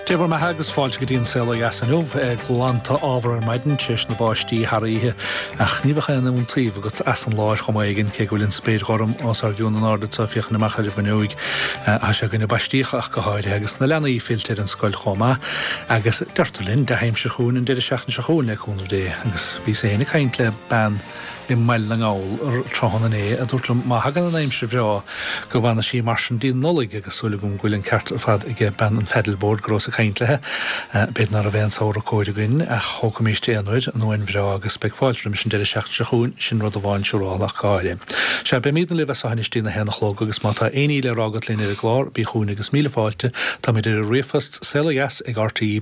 Dé bhur mbeatha agus fáilte go dtí an Saol Ó Dheas inniu. Glanta ámhara ar maidin tar éis na báistí thar oíche ach ní bheadh aon iontaoibh agat as an lá ar chuma éigin cé go bhfuil an spéir ghorm os ár gcionn in airde anseo féachaint amach ar an bhfuinneoig. Tá sé i gcoinne baisteach ach go háirithe agus na leanaí fillte ar an scoil chomh maith agus deirtear linn dea-aimsir chugainn an deireadh seachtaine seo chugainn le cúnamh Dé agus bhíos féin ag caint le bean i mBaile na nGall tráthnóna inné a dúirt liom má thagann an aimsir bhreá go bhfanfaidh sí mar sin dtí an Nollaig agus súil agam go bhfuil an ceart ar fad aige bean an phaddleboard go rabhas ag caint léi. B'fhéidir ná raibh aon samhradh cóir againn ach thógfaimíst aon uair an uain bhreá agus beidh fáilte roimis an deireadh seachtaine seo chugainn, sin rud amháin siúráltha ach go háirithe. Sea, beimídne libh as seo anois dtí'n 1 a chlog agus má tá aon ní le rá agat linn ar an gclár, bí chugainn agus míle fáilte. Táimid ar an ríomhphost, saolodheas ag rte.ie,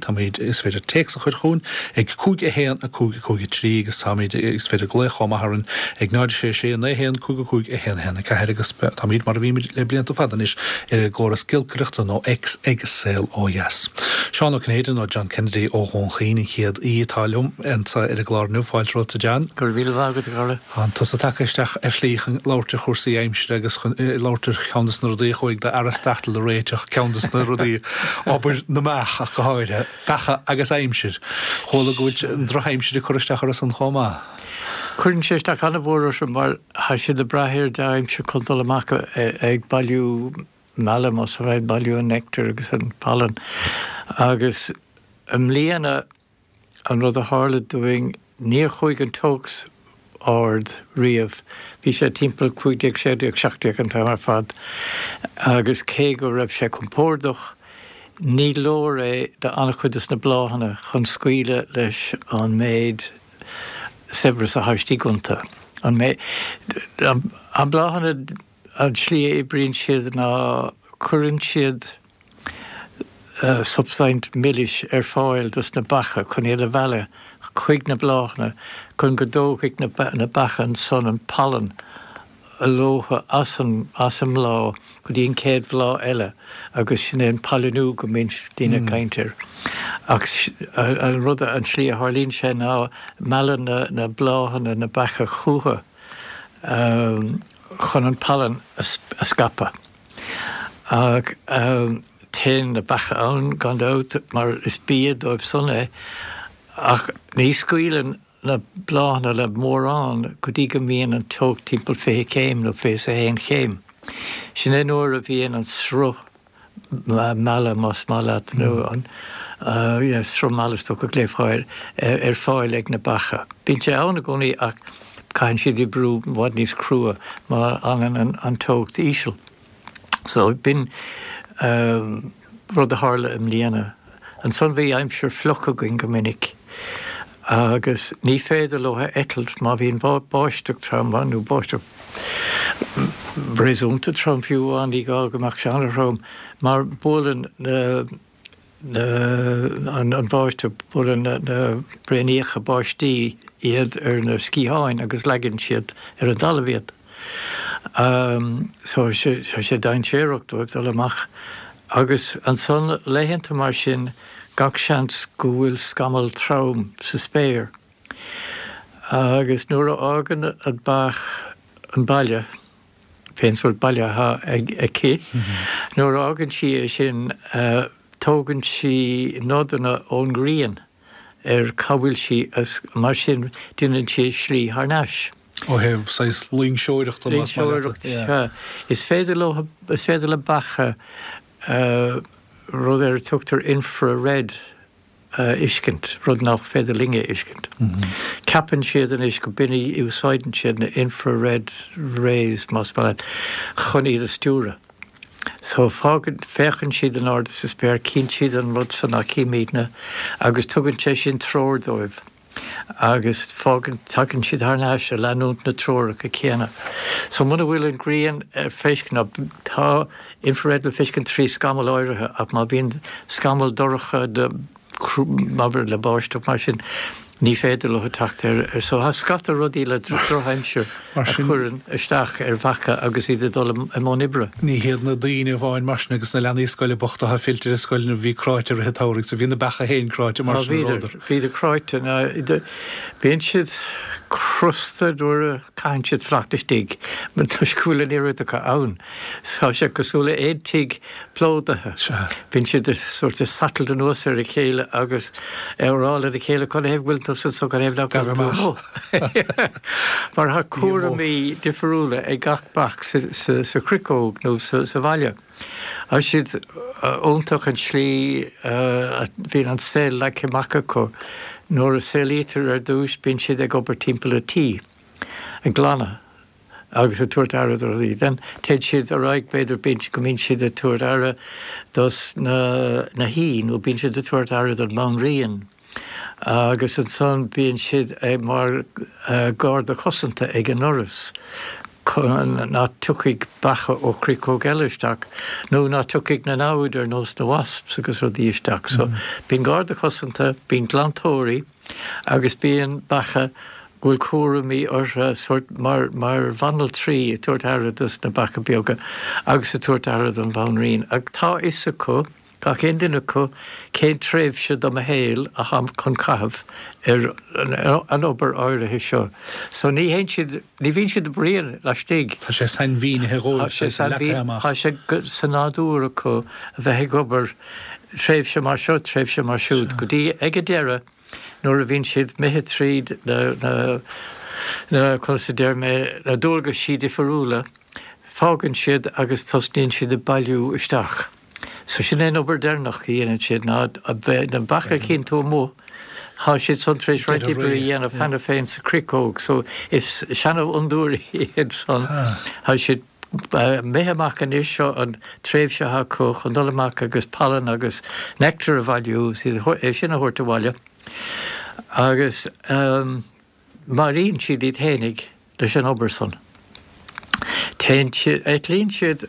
táimid, is féidir téacs a chur chugainn ag 5 1 5 5 3 agus táimid, is féidir glaoch chomh maith orainn ag 0 6 6 9 1 5 5 1 1 4 agus táimid mar a bhímid le blianta fada anois ar an gcóras giolcaireachta nó X ag Saol Ó Dheas. Seán Ó Cinnéide nó John Kennedy ó Dhún Chaoin an chéad aoi atá liom anseo ar an gclár inniu. Fáilte romhat a John. Go raibh míle maith agat a chara. Tá tusa tagtha isteach ar shlí chun labhairt ar chúrsaí aimsire agus chun labhairt ar cheann de na rudaí a chuaigh d'Aristotle a réiteach, ceann de na rudaí, obair na mbeach ach go háirithe. Beacha agus aimsir. Chuala go bhfuil an drochaimsir ag cur isteach orthu san chomh maith. Cuireann sé isteach an-mhór orthu mar tá siad ag brath ar dea-aimsir chun dul amach ag bailiú meala, más ea, ag bailiú an nectar agus an palann. Agus i mbliana an rud a tharla dúinn, níor chuaigh an teocht ard riamh. Bhí sé timpeall 15, 16, 17 an t-am ar fad agus cé go raibh sé compordach, ní leor é do an-chuid de na bláthanna chun scaoileadh leis an méid saibhreas atá istigh iontu. An méid, an bláthanna, an tslí a oibríonn siad ná cuireann siad substaint milis ar fáil dos na beacha chun iad a mhealladh chuig na bláthanna chun go dtógfaidh na beacha ansan an palann leothu as an as an mbláth go dtí an chéad bhláth eile agus sin é an pailiniú go mbíonn daoine ag caint air. Ach an rud an tslí a tharlaíonn sé ná meallann na bláthanna na beacha chucu chun an palann a scaipeadh. Ach téann na beacha ann, gan dabht, mar is bia dóibh san é, ach ní scaoileann na bláthanna le mórán go dtí go mbíonn an teocht timpeall 20 céim nó 21 chéim. Sin é nuair a bhíonn an sruth meala, más maith leat, nó an sruth meala is dócha a ghlaofá air, ar fáil ag na beacha. Bíonn sé ann i gcónaí ach caitheann siad oibriú i bhfad níos crua má fhanann an teocht íseal. So b'in rud a tharla i mbliana. Ansan bhí aimsir fliuch againn go minic agus ní féidir leo eitilt má bhíonn báisteach trom nó báisteach réasúnta trom fiú amháin, ní gá go mbeadh sé an-throm mar buaileann na an bháisteach, buaileann na braoiníocha báistí iad ar na sciatháin agus leagann siad ar an dtalamh iad. So tá sé dainséarach dóibh dul amach. Agus ansan laethanta mar sin gach seans go bhfuil scamall trom sa spéir. Agus nuair a fhágann an beach an baile, pén sórt baile atá aici. Nuair a fhágann sí é sin, tógann sí nodanna ón ngrian ar cá bhfuil sí agus mar sin déanann sí a slí thar n-ais. Ó thaobh saghas loingseoireachta, más maith leat. Loingseoireacht, sea. Is féidir leo, is féidir le beacha rud ar a tugtar infrared a fheiscint, rud nach féidir linne a fheiscint. Ceapann siad anois go b'in a úsáideann siad na infrared rays, más maith leat, chun iad a stiúradh. So fágann, féachann siad in airde sa spéir, cíonn siad an rud so nach chímidne agus tugann sé sin treoir dóibh agus fágann, tagann siad thar n-ais ag leanúint na treoracha céanna. So muna bhfuil an ghrian ar feiscint, nó tá infrared le feiscint trí scamall áirithe ach má bhíonn scamall dorcha de, abair le báisteach mar sin. Ní féidir leo teacht air. So tá scata rudaí le drochaimsir a chuireann isteach ar bheacha agus iad ag dul i mbun oibre. Ní hiad na daoine amháin mar sin agus na leanaí scoile bochta atá fillte ar scoileanna a bhí cráite i rith an tsamhraidh so bhí na beacha féin cráite mar sin a rabhadar. Bhíodar cráite. Bíonn siad crosta nuair a caitheann siad fanacht istigh toisc go bhfuil an oiread acu ann. Tá sé cosúil le aon tigh plódaithe. Bíonn siad sórt ag satailt anuas ar a chéile agus ag rá lena chéile cad a thaobh go bhfuil tú anso cad a thaobh nach bhfuil tú amuigh. Mar tá cúraimí difriúla ag gach beach sa chriceog nó sa bhaile. Tá siad iontach an tslí a bhíonn an saol leagtha amach acu. Nuair a saolaítear ar dtús bíonn siad ag obair timpeall an tí, ag glanadh. agus ag tabhairt aire do rudaí. Then téann siad ar aghaidh, b'fhéidir, bíonn, go mbíonn siad ag tabhairt aire dos na, na huain nó bíonn siad ag tabhairt aire don mbanríon agus ansan bíonn siad ag, mar garda cosanta ag an ndoras chun ná tiocfaidh beacha ó chriceog eile isteach nó ná tiocfaidh na namhaid ar nós na wasps agus rudaí isteach. So bíonn garda cosanta, bíonn glantóirí, Agus bíonn beacha go bhfuil cúraimí orthu, sórt mar, mar bhanaltraí ag tabhairt aire dos na beacha beaga agus ag tabhairt aire don bhanríon. Ach tá fhios acu, gach aon duine acu, cén tréimhse do mo shaol atáim chun caitheamh ar an obair áirithe seo. So ní théann siad, ní bhíonn siad ag bruíon laistigh. Tá sé sainmhínithe dhóibh, tá sé leagtha amach. Tá sé sa nádúr acu a bheith ag obair tréimhse mar seo, tréimhse mar siúd, go dtí ag an deireadh nuair a bhíonn siad imithe tríd na, na, na, conas a deir mé, na dualgaisí difiriúla, fágann siad agus tosnaíonn siad ag bailiú isteach. So sin é an obair deireanach a dhéanann siad ná na beacha a chíonn tú amuigh, tá siad san tar éis roinnt oibre a dhéanamh cheana féin sa chriceog, so is seanfhondúirí iad san, tá siad Imithe amach anois, seo an tréimhse atá acu chun dul amach agus palann agus nectar a bhailiú, é sin a thabhairt abhaile agus maraíonn siad iad fhéinig leis an obair san. Téann siad, eitlíonn siad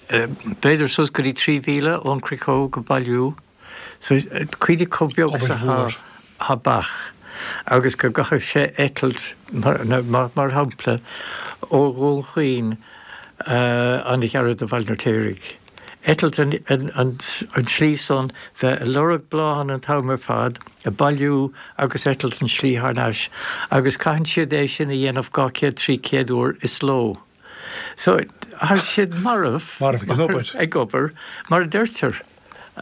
b'fhéidir suas go dtí 3,000 ón chriceog ag bailiú. So, cuimhnigh chomh beag is atá beach agus go gcaithfidh sé eitilt, mar shampla, ó Dhún Chaoin an-ghairid do Bhaile an Fheirtéaraigh. Eitilt an tslí san, bheith ag lorg bláthanna an t-am ar fad, ag bailiú agus eitilt an tslí thar n-ais agus caitheann siad é sin a dhéanamh 200, 300 uair is ló. So, tá siad marbh. Marbh ag an obair. Ag obair, mar a deirtear.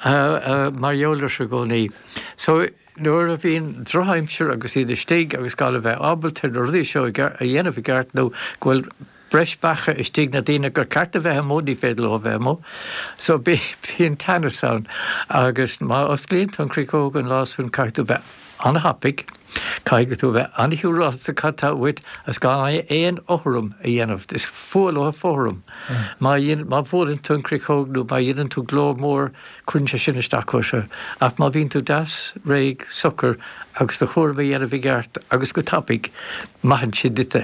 Mar gheall air i gcónaí. So, nuair a bhíonn drochaimsir agus iad istigh agus gan a bheith ábalta na rudaí seo a dhéanamh i gceart nó go bhfuil breis beacha istigh na daoine gur ceart a bheith amuigh ní féidir leo a bheith amuigh. So bíonn teannas ann agus má osclaíonn tú an chriceog an lá san caithfidh tú bheith an-thapaidh, caithfidh tú a bheith an-shiúráilte cad tá uait agus gan aon fhothram a dhéanamh. Is fuath leo fothram. Má má bhuaileann tú an chriceog nó má dhéanann tú glór mór cuireann sé sin isteach orthu. Ach má bhíonn tú deas, réidh, socair agus do chúram a dhéanamh i gceart agus go tapaidh, maitheann siad duit é.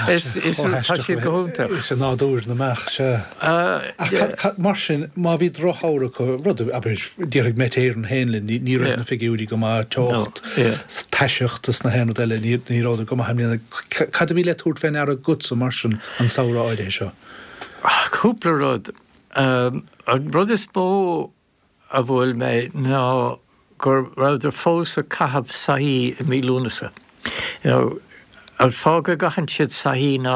Is, is, tá siad go hiontach. Is i nádúr na mbeach, sea. Ach mar sin, má bhí drochshamhradh acu, rud, abair, déarfaidh Met Éireann féin linn, ní raibh na figiúirí go maith, teocht, taiseacht is na haon rud eile, ní rabhadar go maith i mbliana. Cad a bhí le tabhairt fé ndeara agatsa mar sin an samhradh áirithe seo? Cúpla rud. An rud is mó a bhuail mé ná go rabhadar fós ag caitheamh soithí i mí Lúnasa. You know, an fáth go gcaitheann siad soithí ná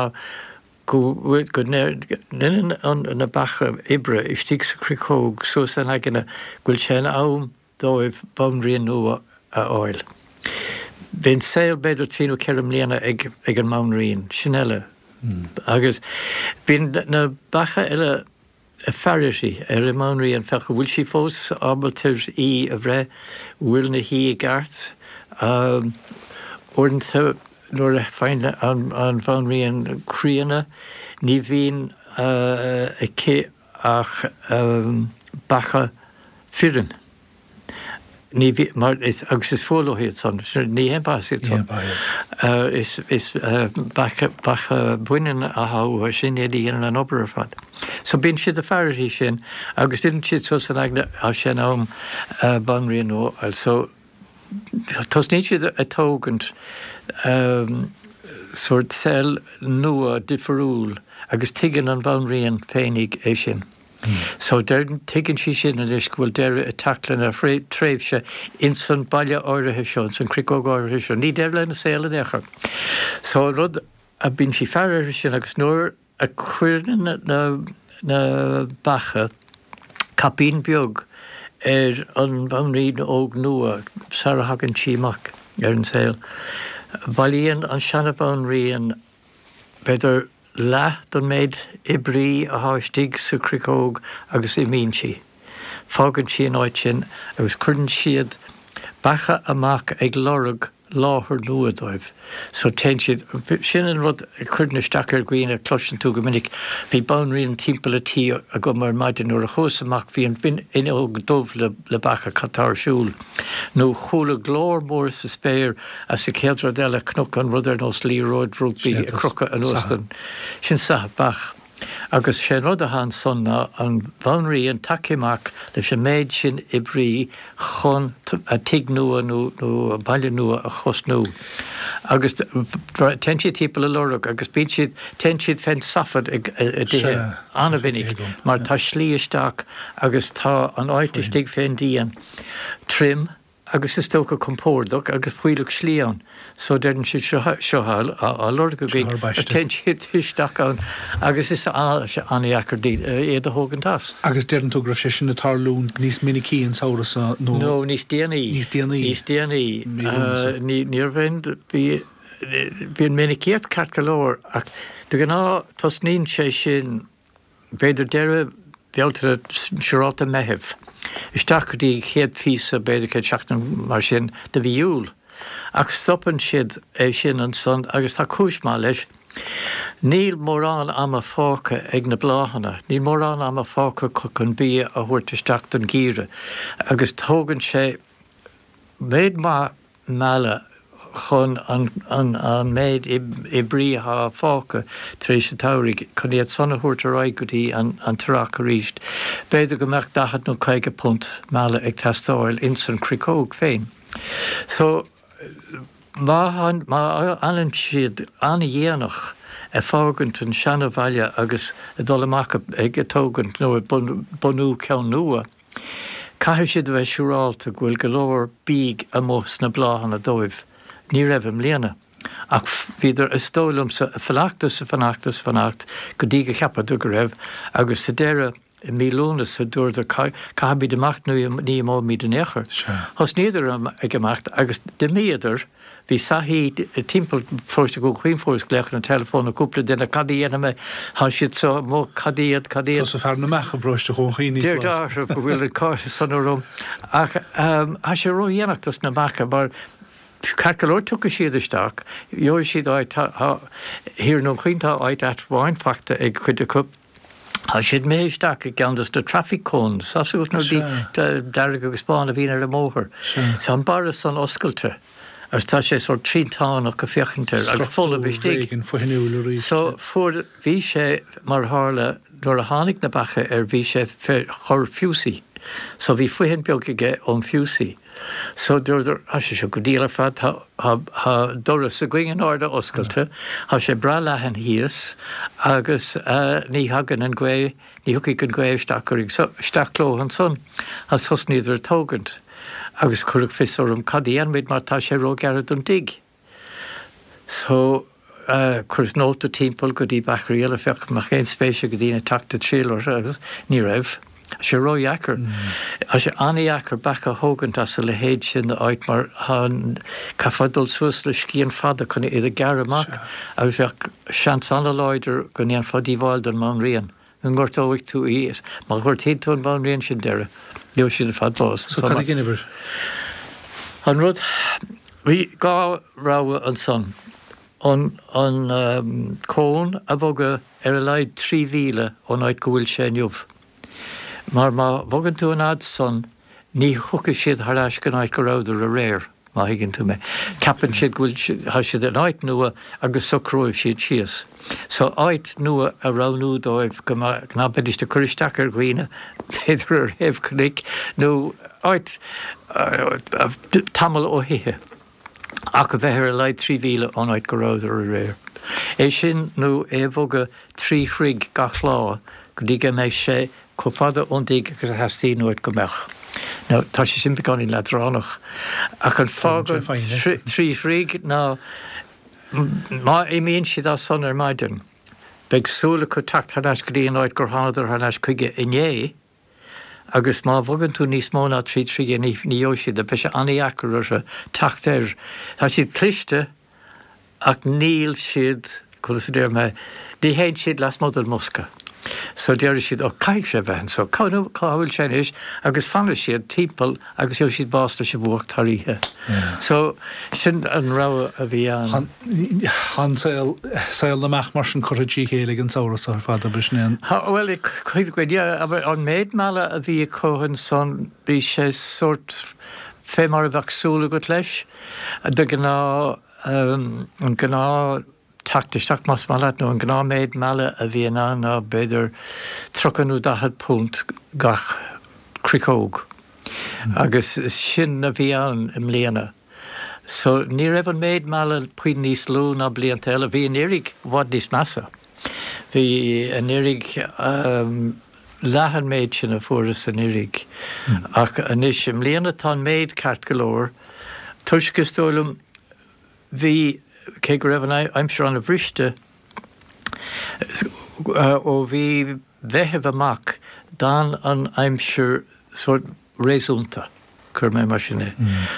go bhfuil, go ndeineann an, na beacha oibre istigh sa chriceog suas ina n-aigne go bhfuil sé in am dóibh banríon nua a fháil. Bíonn saol b'fhéidir trí nó ceithre mbliana ag, ag an mbanríon, sin eile. Agus bíonn na beacha eile ag faire uirthi, ar an mbanríon, féach an bhfuil sí fós ábalta í a bhreith, bhfuil na huain i gceart. Uaireanta nuair a faigheann an bhanríon críonna ní bhíonn aici ach beacha fireann. Ní bhí, mar is, agus is fuath leo iad san, ní haon mhaitheas iad san. Is, is beacha, beacha baineann atá uathu, sin iad a dhéanann an obair ar fad. So bíonn siad ag faire uirthi sin agus deineann siad suas ina n-aigne, tá sé in am banríon nua a fháil. So. Tosnaíonn siad ag tógaint sórt saol nua difriúil agus tuigeann an bhanríon féinig é sin. So deireann, tuigeann sí sin anois go bhfuil deireadh ag teacht lena tréimhse ins an baile áirithe seo, ins an chriceog áirithe seo. Ní deireadh lena saol in aon chor. So an rud a bíonn sí ag faire uirthi sin agus nuair a chuireann na beacha caipín beag ar an bhanríon óg nua sara thagann sí amach ar an saol, bailíonn an seana-bhanríon b'fhéidir leath den méid oibrí athá istigh sa chriceog agus imíonn sí. Fágann sí an áit sin agus cuireann siad beacha amach ag lorg láthair nua dóibh. So téann siad, sin an rud a chuireann isteach ar dhaoine, cloiseann tú go minic, bhí banríon timpeall an tí agam ar maidin, nuair a chuas amach bhí an fhuinneog dubh le le beacha, cad tá ar siúl? Nó chuala glór mór sa spéir agus an chéad rud eile chonac an rud ar nós liathróid rugbaí ag crochadh anuas den, sin sathadh beach. Agus sé an rud athá ansan ná an bhanríon tagtha amach leis an méid sin oibrí chun a tigh nua nó a baile nua a thosnú. Agus téann siad timpeall ag lorg agus bíonn siad, téann siad fén saifead i dtithe an-mhinic mar tá slí isteach agus tá an áit istigh fén díon tirim agus is dócha compordach agus fuílleach slí ann so deireann siad seo seo á lorg againn agus téann siad isteach ann agus is an-dheacair iad a thógaint as. Agus deireann tú go raibh sé sin ag tarlúint níos minicí an samhradh seo nó. Nó níos déanaí. Níos déanaí. Níos déanaí. Mí Lúnasa. Ní raibh aon, bhí, bhí an mhinicíocht ceart go leor ach de ghnáth tosnaíonn sé sin b'fhéidir deireadh Bealtaine, siúrálta Meitheamh, isteach go dtí chéad phíosa, b'fhéidir chéad seachtain mar sin de mhí Iúil. Ach stopann siad é sin ansan agus tá cúis maith leis, níl mórán ama fágtha ag na bláthanna, níl mórán ama fágtha acu chun bia a thabhairt isteach don gheimhreadh agus tógann sé méid maith meala chun an méid oibrí atá fágtha tar éis an tsamhraidh, chun iad san a thabhairt ar aghaidh go dtí an t-earrach arís. B'fhéidir go mbeadh 40 nó 50 punt meala ag teastáil ins an chriceog féin. So, má fhanann siad an-dhéanach ag fágaint an seana-bhaile agus ag dul amach ag tógaint nó ag bunú ceann nua, Caithfidh siad a bheith siúrálta go bhfuil go leor bídh amuigh sna bláthanna dóibh. Ní raibh i mbliana. Ach bhíodar, is dóigh liomsa, ag fanacht is ag fanacht is ag fanacht go dtí go cheapadar go raibh, agus sa deireadh, i mí Lúnasa, dúradar, caithfimid imeacht nó ní imeoimid in aon chor. Thosnaíodar ag imeacht agus d'imíodar. Bhí saithí timpeall Pharóiste Dhún Chaoin fuaireas glaochanna teileafóin ó cúpla duine, cad a dhéanfaidh mé, tá siad seo amuigh, cad iad, cad iad. Tusa fear na mbeach i bparóiste Dhún Chaoin, ní foláir. Deir go bhfuil an cáis san orm ach tá sé ródhéanach dos na beacha mar ceart go leor tiocfaidh siad isteach, gheobhaidh siad áit, tá, thiar i nDún Chaoin tá áit ait amháin faighte ag cuid acu. Tá siad imithe isteach i gceann dos na traffic cones, tá 's agat na rudaí dearg agus bán a bhíonn ar an mbóthar. Tá an barra san oscailte agus tá sé sórt triantánach ag féachaint air agus folamh istigh. Struchtúr éigin foithniúil arís. So fuair, bhí sé, mar a tharla, nuair a tháinig na beacha air bhí sé fé chur fiúsaí. So bhí foithin beag aige ón fiúsaí. So dúradar, tá sé seo go diail ar fad, tá, tá, tá doras againn in airde oscailte, tá sé breá leathan thíos agus ní thagann an ghaoth, ní thiocfaidh an ghaoth isteach orainn. So isteach leo ansan agus thosnaíodar ag tógaint agus cuireadh fios orm cad a dhéanfaimid mar tá sé róghearr don dtigh. So, chuireas nóta timpeall go dtí beachairí eile féach an mbeadh aon spéis ag daoine teacht ag triall orthu agus ní raibh. Tá sé ródheacair. Tá sé an-dheacair beacha a thógaint as a leithéid sin d'áit mar caithfeá dul suas le scian fada chun iad a ghearradh amach agus bheadh seans an-láidir go ndéanfá díobháil don mbanríon. go ngortóidh tú í is má ghortaíonn tú an bhanríon sin deireadh, gheobhaidh siad ar fad bás. So cad a dheineabhair? An rud, bhí dhá rogha ansan, an an cón a bhogadh ar a laghad 3 mhíle ón áit go bhfuil sé inniu, mar má bhogann tú an fhad san ní thiocfaidh siad thar ais go an áit go rabhadar aréir. má thuigeann tú mé. Ceapann siad go bhfuil, tá siad in áit nua agus socróidh siad síos. So áit nua a roghnú dóibh go ná beidís ag cur isteach ar dhaoine, b'fhéidir ar thaobh cnoic, nó áit tamall ó thithe. Ach a bheith ar a laghad 3 mhíle ón áit go rabhadar aréir. É sin nó é a bhogadh 3 throigh gach lá go dtí go mbeidh sé chomh fada ón dtigh agus a theastaíonn uait go mbeadh. Now, tá sé sin beagáinín leadránach. Ach an fáth don 3 throigh ná má imíonn siad as san ar maidin, beidh súil acu teacht thar n-ais go dtí an áit gur thánadar thar n-ais chuige inné, Agus má bhogann tú níos mó ná 3 troighe ní gheobhaidh siad é, beidh sé an-dheacair orthu teacht air. Tá siad cliste ach níl siad, conas a déarfaidh mé, ní théann siad lasmuigh den mbosca. So déarfaidh siad, ó caithfidh sé bheith anso, cá bhfuil sé anois? Agus fanfaidh siad timpeall agus gheobhaidh siad bás leis an bhfuacht thar oíche. So sin an rogha a bhí ann. Tá an saol, saol na mbeach mar sin curtha trí chéile ag an samhradh seo ar fad, ab in é an. Tá, bhuel, cuid againn, yeah, an méid meala a bhí acu ansan, bhí sé sórt fé mar a bheadh súil agat leis. De ghnáth, an gnáth teacht isteach, más maith leat, nó an gnáth méid meala a bhíonn ann ná b'fhéidir 30 nó 40 punt gach cricceog. Agus sin a bhí ann i mbliana. So ní raibh an méid meala puinn níos lú ná blianta eile. Bhí anuraidh i bhfad níos measa. Bhí anuraidh leath an méid sin a fuarthas anuraidh. Ach anois i mbliana tá an méid ceart go leor toisc is dóigh liom bhí, cé go raibh an aimsir an-bhriste, ó mhí Mheithimh amach d'fhan an aimsir sórt réasúnta, cuirfidh mé mar sin é.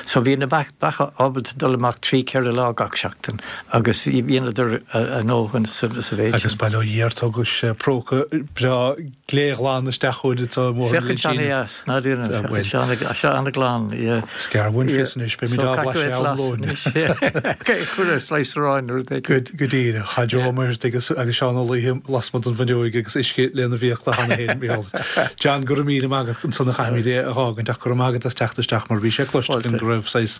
So bhí na beacha ábalta dul amach 3, 4 lá gach seachtain agus dheineadar a ndóthain sa mhéid sin. Agus bail ó Dhia ort, thugais próca breá gléghlan isteach chugainn anseo i mBóthar na Féachann sé ana-dheas, ná déanann, féachann sé ana-ghlan, yeah. Is gearr uainn fios anois, beimid á bhlaiseadh am lóin. Cuir ar slice aráin nó rud éigin. Go díreach, tá Joe Ó Muircheartaigh agus Seán Ó Laoithe lasmuigh den bhfuinneoig agus uisce lena bhfiacla cheana féin, Mícheál. John, go raibh míle maith agat ansan a chaithfimid é a dh'fhágaint ach go raibh maith agat as teacht isteach mar bhí sé cloiste againn go raibh saghas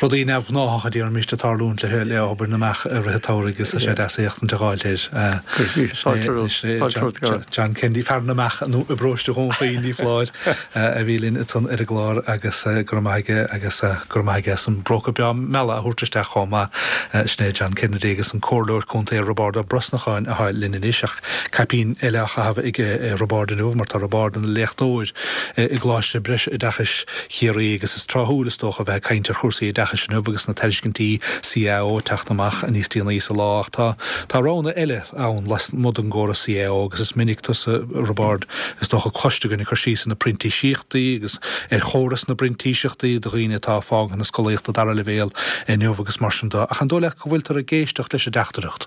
rudaí neamhghnáthacha, déarfaimis, ag tarlúint le le obair na mbeach i rith an tsamhraidh agus tá sé deas éachtaint a dh'fháilt air. John Kennedy, fear na mbeach i bparóiste Dhún Chaoin, ní foláir, a bhí linn ansan ar an gclár agus go raibh maith aige agus go raibh maith aige as an bpróca breá meala a thabhairt isteach chomh maith. Sin é John Kennedy agus an Comhairleoir Contae Roibeárd Ó Brosnacháin atá linn anois ach caipín eile á chaitheamh ag Roibeárd inniu mar tá Roibeárd ina léachtóir i gColáiste Breisoideachais Chiarraí agus is tráthúil is dócha a bheith ag caint ar chúrsaí oideachais inniu agus na tairiscintí CAO ag teacht amach níos déanaí sa lá ach tá tá roghanna eile ann lasmuigh den gcóras CAO agus is minic tusa Roibeárd is dócha cloiste againn ag cur síos ar na printíseachtaí agus ar chóras na bprintíseachtaí do dhaoine atá ag fágaint na scolaíochta dara leibhéal inniu agus mar sin de ach an dóigh leat go bhfuiltear ag éisteacht leis an dteachtaireacht?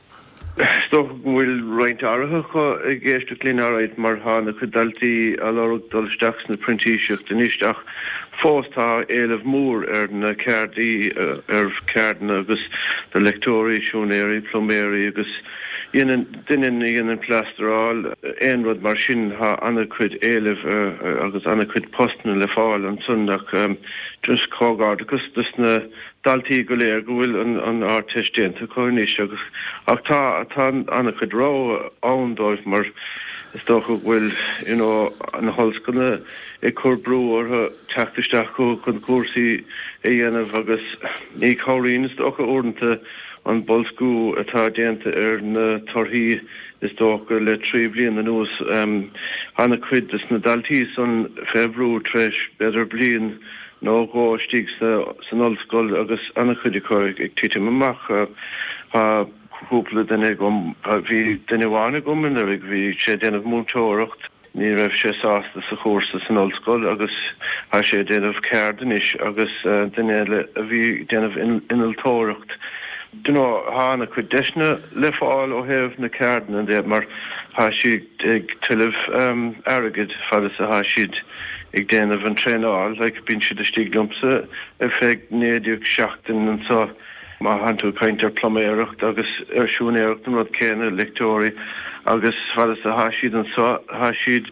Is dócha go bhfuil roinnt áirithe acu ag éisteacht linn alright mar tá ana-chuid daltaí á lorg dul isteach sna printíseacht anois ach fós tá éileamh mór ar na ceardaí, ar cheardanna agus do leicteoirí, siúinéirí, pluiméirí agus dhéanann, duine a dhéanann plástaráil, aon rud mar sin tá ana-chuid éilimh agus ana-chuid postanna le fáil ansan ach just comhghairdeachas dos na daltaí go léir go bhfuil an Ardteist déanta acu anois agus ach tá tá an-chuid rogha ann dóibh mar is dócha go bhfuil you know na hollscoileanna ag cur brú orthu teacht isteach chucu chun cúrsaí a dhéanamh agus ní chabhraíonn is dócha uaireanta an boilsciú atá déanta ar na torthaí is dócha le 3 bhliain anuas an-chuid des na daltaí san fé bhrú tar éis b'fhéidir bliain nó dhó istigh san ollscoil agus an-chuid acu ag titim amach. Tá cúpla duine agam, bhí duine amháin agam anuraidh, bhí sé ag déanamh múinteoireacht, ní raibh sé sásta sa chúrsa san ollscoil agus tá sé ag déanamh ceard anois agus duine eile a bhí ag déanamh innealtóireacht. Do you know, tá an-chuid deiseanna le fáil ó thaobh na ceardanna de mar tá siad ag tuilleamh airgid fad is atá siad ag déanamh an traenáil, like bíonn siad istigh liomsa ar feadh 19 seachtain anso má thánn tú ag caint ar pluiméireacht agus ar siúinéireacht an rud céanna, leicteoirí agus fad is atá siad anso tá siad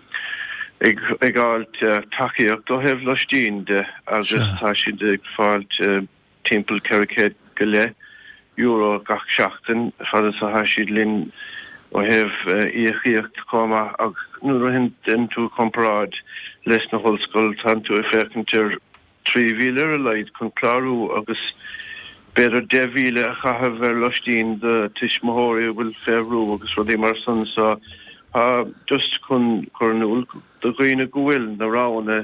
ag ag fháilt tacaíocht ó thaobh loistín de agus tá siad ag fáilt. timpeall 400 go leith euro gach seachtain fad is atá siad linn ó thaobh íocaíocht chomh maith ach nuair a dhéanann tú comparáid leis na hollscoil tánn tú ag féachaint ar 3,000 ar a laghad chun clárú agus b'fhéidir 10,000 a chaitheamh ar loistín do tuismitheoirí a bhfuil fé bhrú agus rudaí mar san so tá just chun cur in iúl do dhaoine go bhfuil na roghanna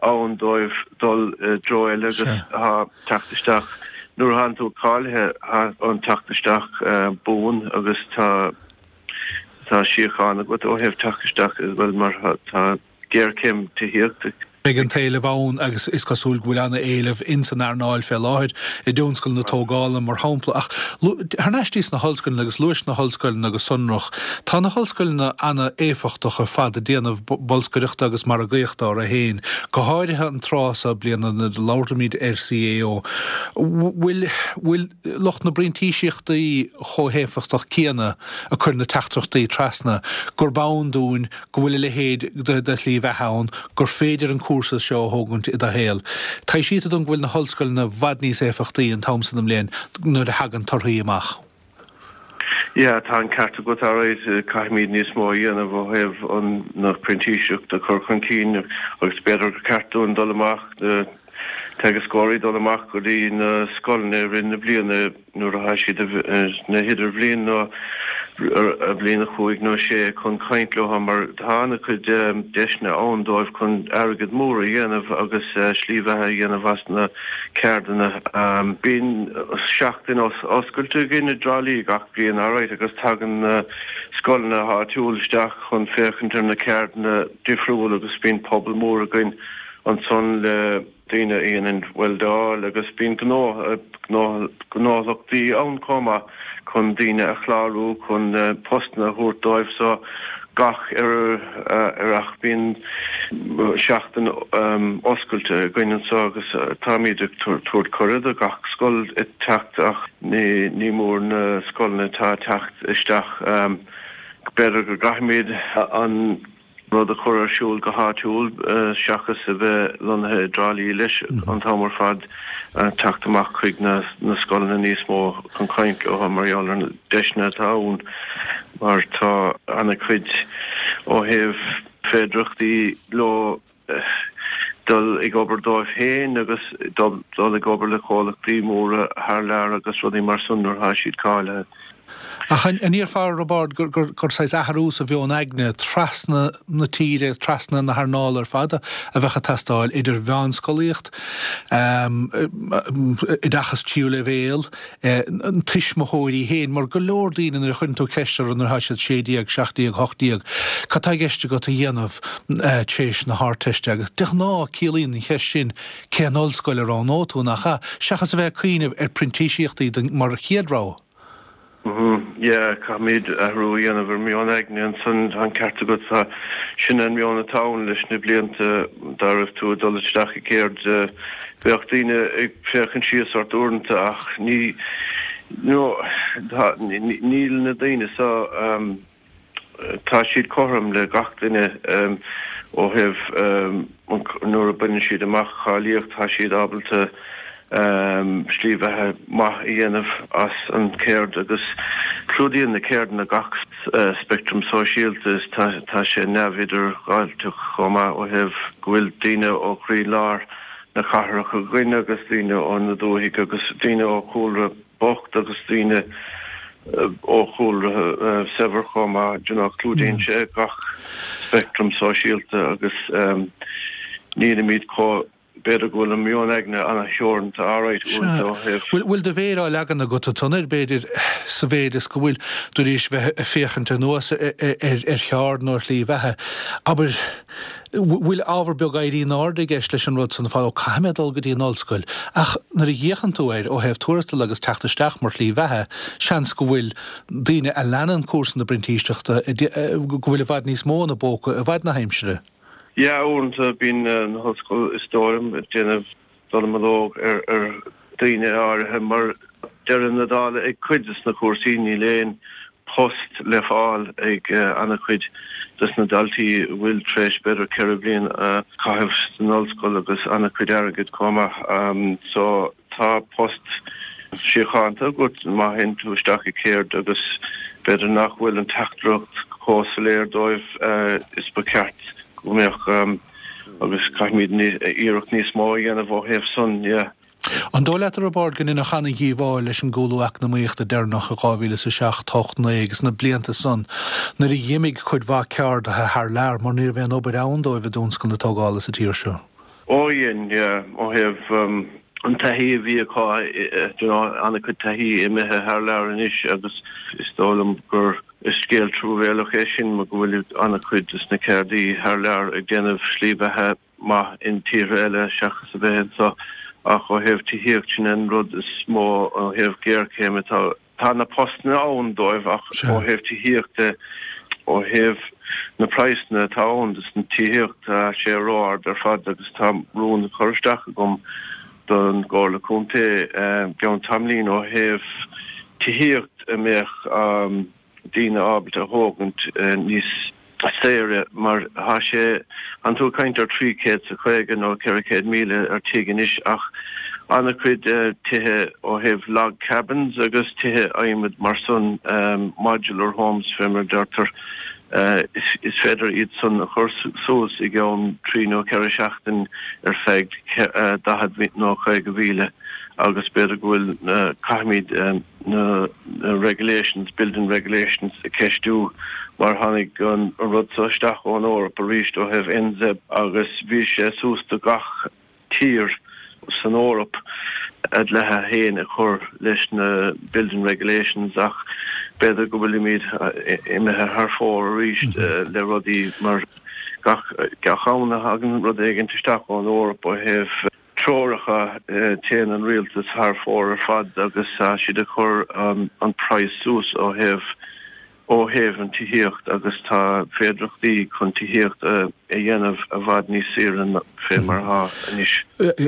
ann dóibh dul i dtreo eile agus tá teacht isteach, nuair a thánn tú cáilithe, tá an teacht isteach buan agus tá tá síocháin agat ó thaobh teacht isteach as well mar tá géarchéim tithíochta. Beidh an t-éileamh ann agus is cosúil go bhfuil ana-éileamh ins an earnáil fé láthair, i dtionscal na tógála mar shampla. Ach thar n-ais dtí sna hollscoileanna agus luais na hollscoileanna go sonrach, tá na hollscoileanna ana-éifeachtach ar fad ag déanamh bolscaireachta agus margaíochta orthu féin, go háirithe an tráth so bliana nuair a labhraímid ar CAO. Bhfuil, bhfuil lucht na bprintíseachtaí chomh héifeachtach céanna ag cur na teachtaireachtaí trasna gurb ann dúinn go bhfuil a leithéid de shlí bheatha ann, gur féidir an cúrsa seo a thógaint i do shaol. Taibhsítear dom go bhfuil na hollscoileanna i bhfad níos éifeachtaí an t-am san den mbliain nuair a thagann torthaí amach. Yeah, tá an ceart agat alright, caithfimid níos mó a dhéanamh ó thaobh an na printíseacht a chur chun cinn agus b'fhéidir gur ceart dúinn dul amach, na teagascóirí dul amach go dtí na scoileanna i rith na bliana nuair atá siad na hidirbhliain nó bliain a chúig nó sé chun caint leo mar tá ana-chuid deiseanna ann dóibh chun airgead mór a dhéanamh agus slí bheatha a dhéanamh as na ceardanna. Bíonn seachtain oscailte againn i dTrá Lí gach bliain alright agus tagann na scoileanna áitiúil isteach chun féachaint ar na ceardanna difriúil agus bíonn pobal mór againn ansan le daoine a dhéanann weldáil agus bíonn gnó, gnólachtaí ann chomh maith chun daoine a chlárú chun postanna a thabhairt dóibh so gach earrach bíonn seachtain oscailte againn anseo agus táimid ag tabhairt cuireadh do gach scoil teacht ach ní mór na scoileanna atá ag teacht isteach b'fhéidir go gcaithfimid an rud a chur ar siúl go háitiúil seachas a bheith lonnaithe i dTrá Lí leis an t-am ar fad, teacht amach chuig na scoileanna níos mó chun caint leo mar gheall ar na deiseanna atá ann mar tá ana-chuid ó thaobh féidireachtaí leo dul ag obair dóibh féin agus dul ag obair le comhlachtaí móra thar lear agus rudaí mar san nuair atá siad cáilithe. Ach an ndéarfá, a Roibeaird, gur saghas athrú sa mheon aigne trasna na tíre, trasna na hearnála ar fad a bheadh ag teastáil, idir mheánscolaíocht, oideachas tríú leibhéal, tuismitheoirí féin, mar go leor daoine nuair a chuireann tú ceist orthu nuair atá siad 16, 17, 18, cad tá i gceist agat a dhéanamh tar éis na hArdteiste agus de ghnáth ciallaíonn an cheist sin cén ollscoil a roghnóidh tú, nach ea? Seachas a bheith ag cuimhneamh ar printíseachtaí mar chéad rogha. Yeah, caithfimid athrú a dhéanamh ar meon aigne ansan, tá an ceart agat, tá, sin an meon atá ann leis na blianta, dá raibh tú ag dul isteach i gceird, bheadh daoine ag féachaint síos ort uaireanta ach ní, no, tá, níl na daoine so, Tá siad cothrom le gach duine ó thaobh nuair a baineann siad amach cáilíocht, tá siad ábalta slí bheatha maith a dhéanamh as an gceird agus clúdaíonn na ceirdeanna gach speictream sóisialta is tá sé neamh-idirdhealaitheach chomh maith ó thaobh go bhfuil daoine ó chroí-lár na cathrach againn agus daoine ó na dúthaigh agus daoine ó chúlra bocht agus daoine ó chúlra saibhir chomh maith, you know, clúdaíonn sé gach speictream sóisialta agus nílimid chomh, b'fhéidir go bhfuil an meon aigne an-theoranta alright uaireanta ó thaobh. Bhfuil do mhéar á leagan agat ansan air, b'fhéidir, sa mhéid is go bhfuil tú tar éis bheith ag féachaint anuas ar cheard nó ar shlí bheatha, abair, bhfuil ábhar beag éirí in airde i gceist leis an rud san, fá, ó caithfidh mé dul go dtí an ollscoil. Ach nuair a fhéachann tú air ó thaobh tuarastal agus teacht isteach mar shlí bheatha, seans go bhfuil daoine a leanann cúrsa na bprintíseachta, go bhfuil i bhfad níos mó ina bpóca i bhfad na haimsire. Yeah, uaireanta bíonn na hollscoil, is dóigh liom, ag déanamh dallamullóg ar dhaoine áirithe mar deireadh na dála ag cuid des na cúrsaí níl aon post le fáil ag ana-chuid des na daltaí a bhfuil tar éis b'fhéidir 4 bliain a chaitheamh san ollscoil agus ana-chuid airgid chomh maith. So. tá post síochánta agat má théann tú isteach i gceird agus b'fhéidir nach bhfuil an teachtaireacht chomh soiléir dóibh is ba cheart go mbeadh agus caithfimid iarracht níos mó a dhéanamh ó thaobh san, yeah. An dóigh leat, a Roibeaird, go ndeineadh ana-dhíobháil leis an gcúlú eacnamaíochta deireanach i 2007, 8, 9 agus na blianta san nuair a dh'imigh cuid mhaith ceardaithe thar lear mar ní raibh aon obair ann dóibh i dtionscal na tógála sa tír seo? Ó dhein, yeah, ó thaobh an taithí a bhí acu, you know, an-chuid taithí imithe thar lear anois agus is dóigh liom gur is scéal truamhéalach é sin mar go bhfuil an-chuid des na ceardaí thar lear ag déanamh slí bheatha maith in tíortha eile seachas a bheith anseo ach ó thaobh tithíocht sin an rud is mó ó thaobh géarchéim atá Tá na postanna ann dóibh ach ó thaobh tithíochta, ó thaobh na praghsanna atá ann dos an tithíocht, tá sé ró-ard ar fad agus tá rún á chur isteach agam don gComhairle Contae i gceann tamaillín ó thaobh tithíocht a mbeadh daoine ábalta a thógaint níos saoire mar tá sé, tánn tú ag caint ar 350 nó 400,000 ar tigh anois ach an-chuid tithe ó thaobh log cabins agus tithe adhmaid mar san, modular homes fé mar a deirtear, is féidir iad san a chur suas i gceann trí nó ceithre seachtain ar feadh 40 nó 50,000 agus b'fhéidir go bhfuil, caithfimid. na regulations, building regulations a cheistiú mar tháinig an rud seo isteach ón Eoraip arís ó thaobh NZEB agus bhí sé suas do gach tír san Eoraip a dlíthe féin a chur leis na building regulations ach b'fhéidir go bhfuilimid imithe thar fóir arís le rudaí mar gach am a thagann rud éigin isteach ón Eoraip ó thaobh treoracha, téann an rialtas thar fóir ar fad agus tá siad ag cur an praghas suas ó thaobh ó thaobh an tithíocht agus tá féidireachtaí chun tithíocht a dhéanamh i bhfad níos saoire ná fé mar atá anois.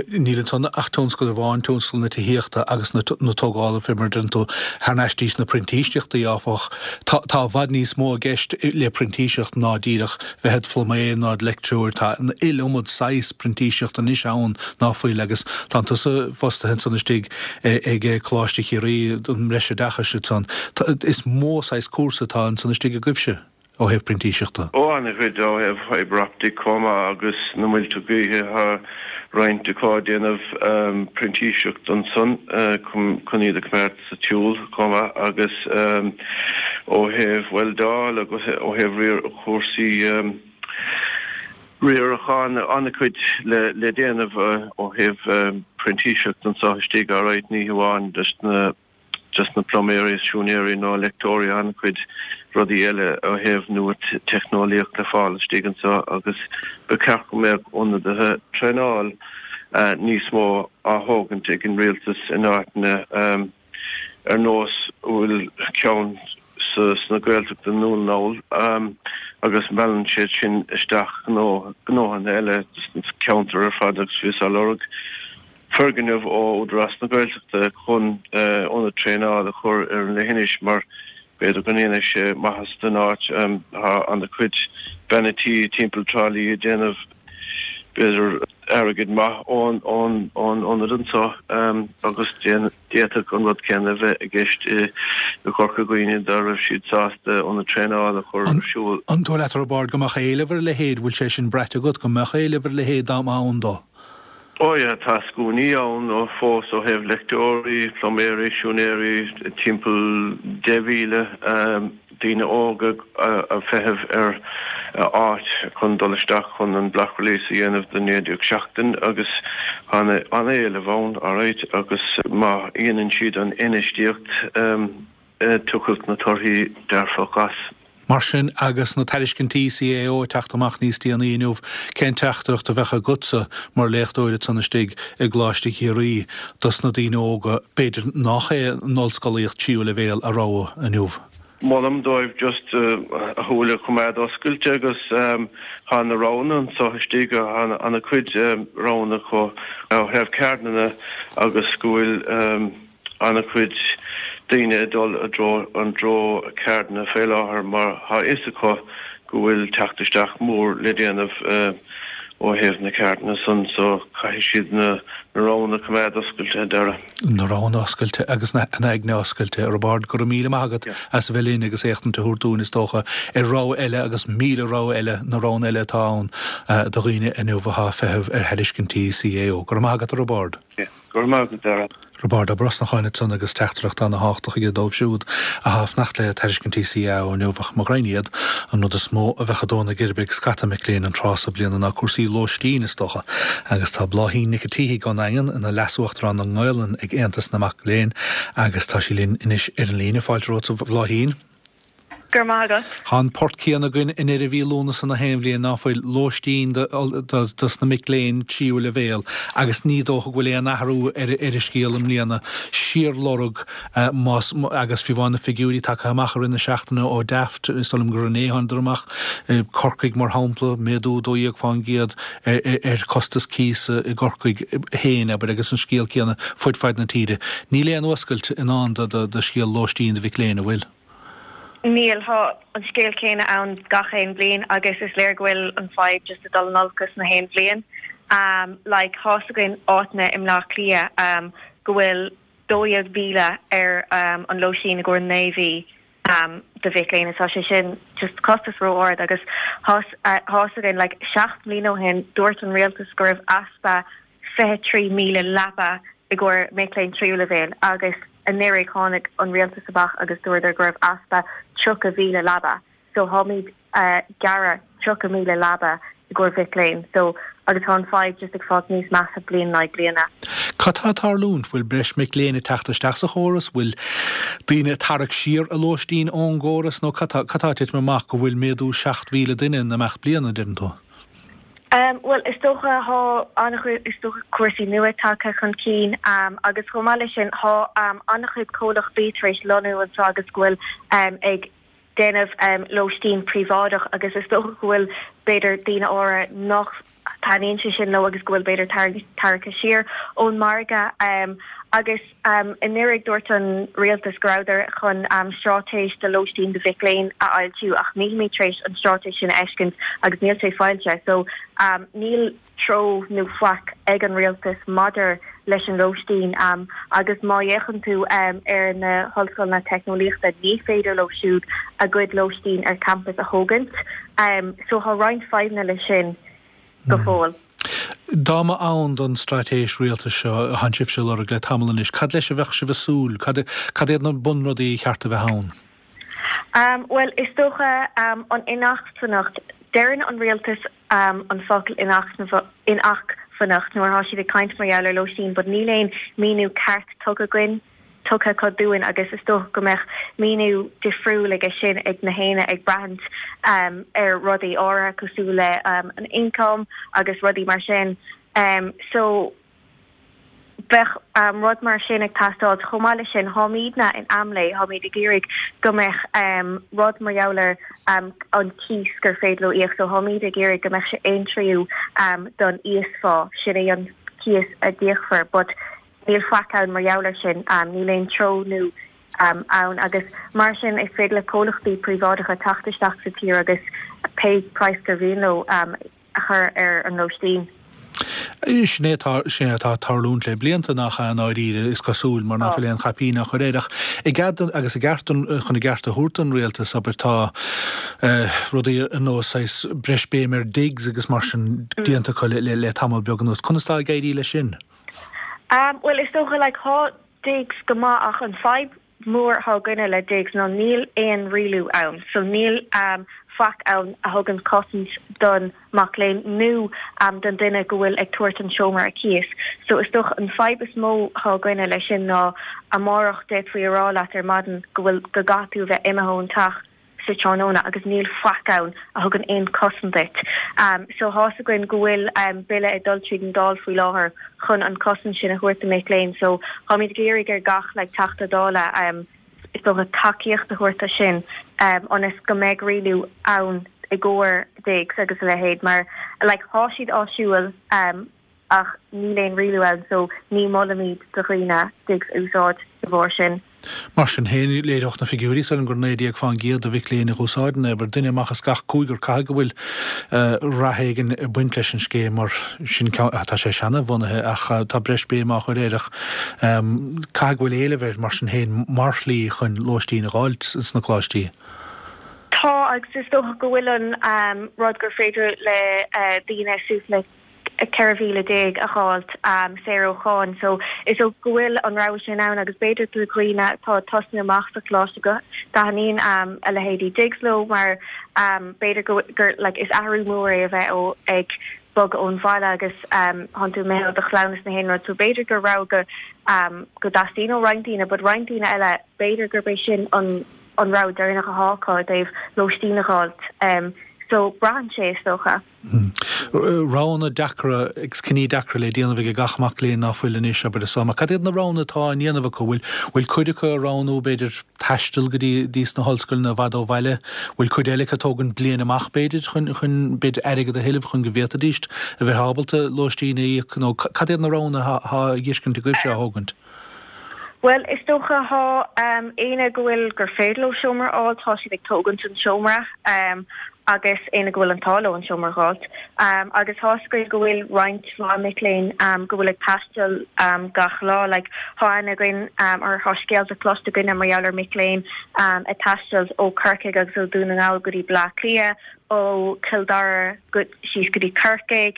Níl ansan ach tionscal amháin, tionscal na tithíochta agus na tógála fé mar a deireann tú. Thar n-ais dtís na printíseachtaí, áfach, tá i bhfad níos mó i gceist le printíseacht ná díreach bheith id phluiméir ná id leictreoir. Tá an iliomad saghas printíseachta anois ann ná fuil agus tánn tusa fostaithe ansan istigh ag Coláiste Chiarraí don mbreisoideachais ansan. Is mó saghas cúrsa atá ansan istigh agaibhse ó thaobh printíseachta. Ó an-chuid ó thaobh fibre optic chomh maith agus na muilte gaoithe. Tá roinnt acu ag déanamh printíseacht ansan chun iad a choimeád sa tsiúl chomh maith agus ó thaobh weildeáil agus ó thaobh riar chúrsaí riaracháin an-chuid le déanamh ó thaobh printíseacht anseo istigh alright ní hamháin just na just na pluiméirí is siúinéirí nó leictreoirí an-chuid rudaí eile ó thaobh nua teicneolaíocht le fáil istigh anseo agus ba cheart go mbeadh ionadaithe traenáil níos mó á thógaint ag an rialtas in áiteanna ar nós a bhfuil ceann sna Gaeltachta i nDún na nGall agus meallann siad sin isteach gnó, gnóthanna eile sna ceantar ar fad agus bhíos á lorg foirgneamh ó Údarás na Gaeltachta chun ionad traenála a chur ar an leithinis mar b'fhéidir go ndéanfaidh sé maitheas don áit. Tá an-chuid beanna tí timpeall Trá Lí ag déanamh b'fhéidir airgead maith ón ionad anseo agus d'fhéadfadh an rud céanna a bheith i gceist i gCorca Dhuibhne dá raibh siad sásta ionad traenála a chur ar siúl. An dóigh leat, a Roibeaird, go mbeadh éileamh ar a leithéid, bhfuil sé sin braite agat, go mbeadh éileamh ar a leithéid dá mba ann dó? Ó yeah, tá scuainí ann fós ó thaobh leictreoirí, pluiméirí, siúinéirí, timpeall 10,000 daoine óga ag feitheamh ar áit chun dul isteach chun an block release a dhéanamh do 19 seachtain agus tá an-éileamh ann, alright, agus má dhéanann siad an infheistíocht, tiocfaidh na torthaí dearfach as. Mar sin, agus na tairiscintí CAO ag teacht amach níos déanaí inniu, cén teachtaireacht a bheadh agatsa mar léachtóir ansan istigh i gColáiste Chiarraí dos na daoine óga, b'fhéidir nách é an ollscolaíocht tríú leibhéal a rogha inniu? Molaim dóibh just a shúile a choimeád oscailte agus tá na roghanna anseo istigh, tá ana-chuid roghanna acu ó thaobh ceardlanna agus go bhfuil an-chuid daoine ag dul i dtreo an dtreo ceardlanna fé láthair mar tá fhios acu go bhfuil teacht isteach mór le déanamh. Ó thaobh na ceardanna san so, caithfidh siad na roghanna a choimeád oscailte, a Dhara. Na roghanna oscailte agus an aigne oscailte. A Roibeaird, go raibh míle maith agat as a bheith linn agus éachtaint a thabhairt dúinn, is dócha, ar rogha eile agus 1,000 rogha eile, na roghanna eile atá ann do dhaoine inniu atá ag feitheamh ar thairiscintí CAO. Go raibh maith agat, a Roibeaird. Go raibh maith agat, Dara. Roibeárd Ó Brosnacháin ansan agus teachtaireacht ana-thábhachtach aige dóibh siúd athá ag fanacht le tairiscintí CAO inniu ach mo ghraidhin iad, an rud is mó a bheadh ag dó na geirbe ag scata mic léinn an tráth so bliana ná cúrsaí lóistín, is dócha. Agus tá Bláithín Nic an tSíthigh ón nDaingean ina Leas-Uachtarán na nGaelainne ag Aontas na Mac Léinn agus tá sí linn anois ar an líne. Fáilte romhat, a Bhláithín. Go raibh maith agat. Tá an port céanna againn i ndeireadh mhí Lúnasa na haon bhliain, ná fuil? Lóistín dos na mic léinn tríú leibhéal agus ní dócha go bhfuil aon athrú ar an scéal i mbliana. Síorlorg más, agus fiú amháin na figiúirí tagtha amach i rith na seachtaine ó Daft, is dóigh liom gur inné a thánadar amach, Corcaigh mar shampla, méadú 12% ar chostas cíosa i gCorcaigh féin, abair, agus an scéal céanna fud fad na tíre. Níl aon fhuascailt i ndán do scéal lóistín do mhic léinn, an bhfuil? Níl, tá an scéal céanna ann gach aon bhliain agus is léir go bhfuil an fadhb just ag dul in olcas na haon bhliain. Like, thá's againn áiteanna i mBleá Cliath go bhfuil 12,000 ar an lóistín i gcomhair 9 mhí do mhic léinn agus tá sé sin just costas ró-ard agus thá's thá's againn like 7 mbliana ó shin dúirt an rialtas go raibh easpa 23,000 leaba i gcomhair mic léinn tríú leibhéal agus anuraidh tháinig an rialtas amach agus dúradar go raibh easpa 30,000 leaba so táimid a' gearradh 30,000 leaba i gcomhair mhic léinn so agus tá an fadhb just ag fáilt níos measa bliain in aghaidh bliana. Cad tá ag tarlúint? Bhfuil breis mic léinn ag teacht isteach sa chóras? Bhfuil daoine ag tarrac siar a lóistín ón gcóras nó cad tá cad tá ag titim amach go bhfuil méadú 7,000 duine in imeacht bliana, deireann tú? Bhuel, is dócha, thá an-chuid, is dócha, cúrsaí nua tagtha chun cinn agus chomh maith leis sin, thá an-chuid comhlachtaí tar éis lonnú anseo agus go bhfuil ag déanamh lóistín príobháideach agus is dócha go bhfuil, b'fhéidir, daoine áirithe nach dtaitníonn sé sin leo agus go bhfuil, b'fhéidir, tarraingthe siar ón margadh agus. Anuraidh, dúirt an rialtas go rabhadar chun straitéis do lóistín do mhic léinn a fhoilsiú ach nílimid tar éis an straitéis sin a fheiscint agus níl sé foilsithe. So, níl treo nó faic ag an rialtas maidir leis an lóistín agus má fhéachann tú ar na hollscoileanna teicneolaíochta ní féidir leo siúd a gcuid lóistín ar campas a thógaint. So, tá roinnt fadhbanna leis sin. go fóill. Dá mba ann don straitéis rialtais seo a thánn sibhse a lorg le tamall anois, cad leis a bheadh sibh ag súil? Cad, cad iad na bunrudaí a cheart a bheith ann? Bhuel, is dócha an inacmhainneacht. Deireann an rialtas an focal inacmhainneacht nuair atá siad ag caint mar gheall ar lóistín but níl aon míniú ceart tugtha againn. tugtha acu dúinn agus is dócha go mbeadh míniú difriúil aige sin ag na héinne ag braithint ar rudaí áirithe cosúil le an ioncam agus rudaí mar sin. So bheadh rud mar sin ag teastáil. Chomh maith leis sin, táimidne in Amlé, táimid ag iarraidh go mbeadh rud mar gheall ar an cíos gur féidir leo íoc. So táimid ag iarraidh go mbeadh sé aon tríú don íosphá, sin é an cíos a d'íocfar but Níl faic ann mar gheall air sin, níl aon treo nó ann agus mar sin is féidir le comhlachtaí príobháideacha teacht isteach sa tír agus pé praghas gur mhian leo a chur ar an lóistín. Sin é atá, sin é atá ag tarlúint le blianta, nach ea, i ndáiríre, is cosúil, mar ná fuil aon chaipín á chur air. Ach i gcead, agus i gceart don, chun a gceart a thabhairt don rialtas, abair, tá rudaí ar nós saghas breis béim ar digs agus mar sin déanta acu le, le, le tamall beag anuas. Conas tá ag éirí leis sin? Bhuel, is dócha, like, thá digs go maith ach an fadhb mhór athá againne le digs ná níl aon rialú ann. So níl faic ann a thugann cosaint don mac léinn nó don duine go bhfuil ag tabhairt an seomra ar cíos. So is dócha an fadhb is mó athá againne leis sin ná amárach d'fhéadfaí a rá leat ar maidin go bhfuil, go gcaithfidh tú a bheith imithe ón teach sa tráthnóna agus níl faic ann a thugann aon chosaint duit. So thá's againn go bhfuil bille ag dul tríd an Dáil faoi láthair chun an chosaint sin a thabhairt do mic léinn so táimid ag iarraidh ar gach like Teachta Dála is dócha tacaíocht a thabhairt do sin ionas go mbeidh rialú ann i gcomhair digs agus a leithéid mar like thá siad áisiúil ach níl aon rialú ann so ní molaimid do dhaoine digs a úsáid de bharr sin. Mar sin féin, léireodh na figiúirí so gur 19 fán gcéad de mhic léinn a dh'úsáideann é, abair, duine amach as gach cúigear, caithfidh go bhfuil rath éigin ag baint leis an scéim mar sin, tá sé seana-bhunaithe ach tá breis béime á chur air ach caithfidh go bhfuil éileamh air mar sin féin mar shlí chun lóistín a dh'fháilt sna coláistí. Tá agus is dócha go bhfuil an rud gur féidir le daoine suas le 14,000 a dh'fháilt saor ó cháin. So is dócha go bhfuil an rogha sin ann agus b'fhéidir do dhaoine atá ag tosnú amach sa choláiste go dtaitníonn a leithéidí digs leo mar b'fhéidir go gur like is athrú mór é a bheith ó ag bogadh ón bhaile agus thánn tú imithe ó do chlann is na haon rud so b'fhéidir gur rogha go go dteastaíonn ó roinnt daoine but roinnt daoine eile b'fhéidir gurb é sin an an rogha deireanach athá acu i dtaobh lóistín a dh'fháilt so braitheann sé is dócha. Roghanna deacra agus cinní deacra le déanamh ag gach mac léinn ná fuil anois, abair, is mar cad iad na roghanna atá á ndéanamh acu? Bhfuil, bhfuil cuid acu ag roghnú, b'fhéidir, taisteal go dtí, dtí sna hollscoileanna i bhfad ó bhaile? Bhfuil cuid eile acu ag tógaint bliain amach, b'fhéidir, chun, chun, b'fhéidir, airgead a thuilleamh chun go bhféadfaidíst a bheith ábalta lóistín a íoc nó cad iad na roghanna athá, athá á dtuiscint agaibhse á thógaint? Bhuel, is dócha, thá éinne go bhfuil, gur féidir leo seomra a fháil, tá siad ag tógaint an seomra agus éinne go bhfuil an t-ádh leo an seomra a dh'fháilt. Agus thá 'fhios againn go bhfuil roinnt mhaith mic léinn go bhfuil ag taisteal gach lá, like thá aithne againn or thá scéalta cloiste againne mar gheall ar mic léinn ag taisteal ó Corcaigh agus ó Dún na nGall go dtí Bleá Cliath, ó Chill Dara go síos go dtí Corcaigh,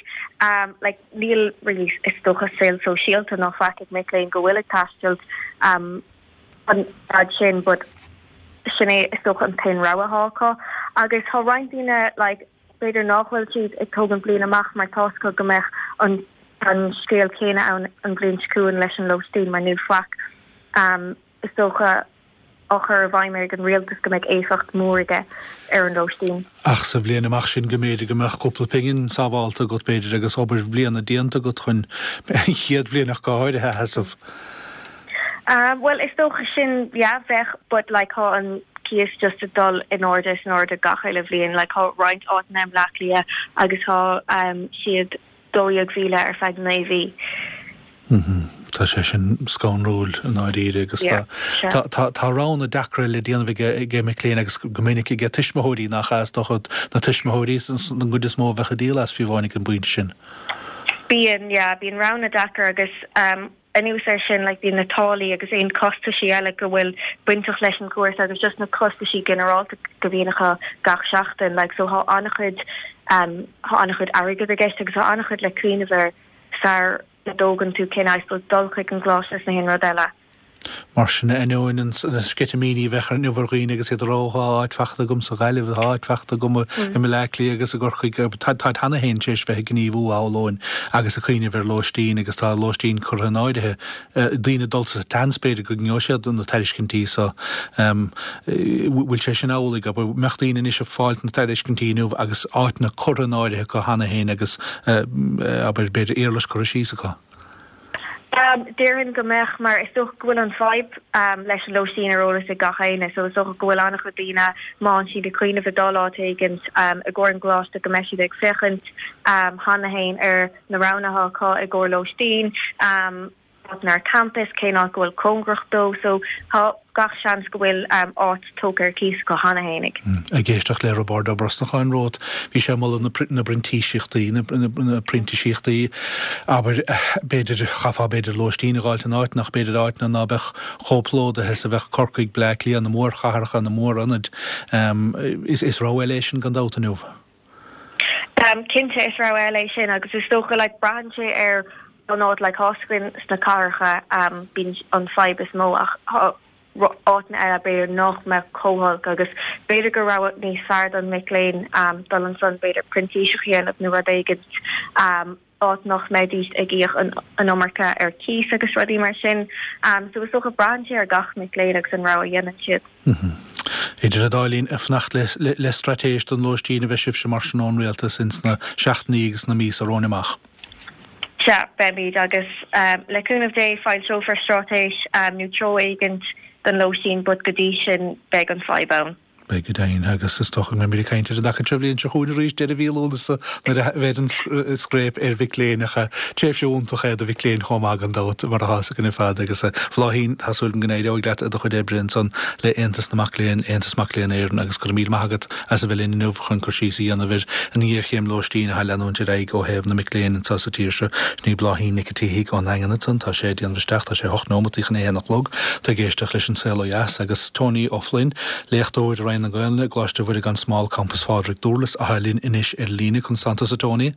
like. Níl really is dócha saol sóisialta ná faic ag mic léinn go bhfuil ag taisteal an fhad sin but sin é is dócha an t-aon rogha athá acu. Agus tá roinnt daoine like b'fhéidir nách bhfuil siad ag tógaint bliain amach mar tá's acu go mbeadh an an scéal céanna ann an bhliain seo chugainn leis an lóistín mar níl faic is dócha á chur i bhfeidhm ag an rialtas go mbeidh éifeacht mhór aige ar an lóistín. Ach sa bhliain amach sin go mb'fhéidir go mbeadh cúpla pingin sábhálta agat, b'fhéidir, agus obair bhliana déanta agat chun an chéad bhliain ach go háirithe a sheasamh. Bhuel, is dócha sin, yeah, bheadh, but like thá an cíos just ag dul in airde is in airde gach uile bhliain, like thá roinnt áiteanna i mBleá Cliath agus thá siad 12,000 ar feadh 9 mhí. Tá sé sin scanrúil i ndáiríre agus tá roghanna deacra le déanamh ag mic léinn agus go minic ag tuismitheoirí nach ea? Is dócha na tuismitheoirí an gcuid is mó a bheadh ag díol as fiú amháin ag an bpointe sin. Bíonn, yeah, bíonn roghanna deacair agus anuas air sin like bíonn na táillí agus aon costaisí eile go bhfuil bainteach leis an gcúrsa agus just na costaisí ginearálta go bhíonn acu gach seachtain like so thá an-chuid thá an-chuid airgead i gceist agus thá an-chuid le cuimhneamh air sar a dtógann tú cinneadh, I suppose, dul chuig an gcoláiste is na haon rud eile. Mar sin, ainneoin na sceitimíní a bheadh inniu ar dhaoine agus iad ag rá, Tá áit fachta agam sa Ghaillimh, tá áit fachta agam i mBleá Cliath agus i gCorcaigh, táid cheana féin tar éis bheith ag gníomhú, shamhlóinn, agus ag cuimhneamh ar lóistín agus tá lóistín curtha in áirithe. Daoine ag dul sa tseans, b'fhéidir, go ngeobhaidh siad na tairiscintí so. Bhfuil sé sin amhlaidh? An mbeadh daoine anois ag fáilt na tairiscintí inniu agus áiteanna curtha in áirithe acu cheana féin agus, abair, b'fhéidir éarlais curtha síos acu? Déarfainn go mbeadh, mar is dócha go bhfuil an fadhb leis an lóistín ar eolas ag gach éinne so is dócha go bhfuil an-chuid daoine, má thánn siad ag cuimhneamh ag dul áit éigint i gcomhair an gcoláiste go mbeidh siad ag féachaint cheana féin ar na roghanna atá acu i gcomhair lóistín. áiteanna ar campas, cén áit go bhfuil cóngarach dó, so tá gach seans go bhfuil áit tógtha ar cíos acu cheana fhéinig. Ag éisteacht le Roibeárd Ó Brosnacháin romhat, bhí sé ag moladh na bprintíseachtaí, na printíseachtaí, abair, b'fhéidir, chaithfeá b'fhéidir lóistín a dh'fháilt in áiteanna ach b'fhéidir áiteanna ná beadh chomh plódaithe is a bheadh Corcaigh, Bleá Cliath, na mórchathracha, na mórionaid. Is rogha eile é sin gan dabht inniu. Cinnte is rogha eile é sin agus is dócha like braitheann sé ar an áit like tá's againn sna cathracha bíonn an fadhb is mó ach tá áiteanna eile b'fhéidir nach mbeadh chomh holc agus b'fhéidir gur rogha níos fearr don mic léinn dul ansan b'fhéidir printíseach a dhéanamh nó rud éigint. áit nach mbeidís ag íoc an iomarca ar cíos agus rudaí mar sin. So is dócha braitheann sé ar gach mic léinn agus an rogha a dhéanann siad. Idir an dá linn, ag fanacht le straitéis don lóistín a bheidh sibhse mar sin ón Rialtas ins na seachtainí agus na míosa romhainn amach. Sea, beimid agus le cúnamh Dé foilseofar straitéis nó treo éigint don lóistín but go dtí sin beidh an fadhb ann. Beidh go deimhin, agus is dócha go mbeimid ag caint ar an dtaca seo an bhliain seo chugainn arís, deireadh mhí Lúnasa, nuair a bheidh an scréip ar mhic léinn, ach tréimhse iontach é do mhic léinn chomh maith gan dabht, mar atá fhios againn ar fad. Agus a Bhláithín, tá súil agam go n-éireoidh leat i do chuid oibre ansan le Aontas na Mac Léinn, Aontas Mac Léinn Éireann, agus go raibh míle maith agat as a bheith linn inniu chun cur síos a dhéanamh ar an ngéarchéim lóistín atá ag leanúint ar aghaidh ó thaobh na mic léinn anseo sa tír seo. Sin í Bláithín Nic an tSíthigh ón nDaingean ansan. Tá sé ag déanamh isteach, tá sé 8 nóimeataí chun a haon a chlog. Tá ag éisteacht leis An Saol Ó Dheas agus Tony Ó Floinn, léachtóir i Roinn na Gaelainne i gColáiste Mhuire gan Smál, Campas Phádraig, Dúrlas, atá linn anois ar líne. Conas tánn tusa Tony?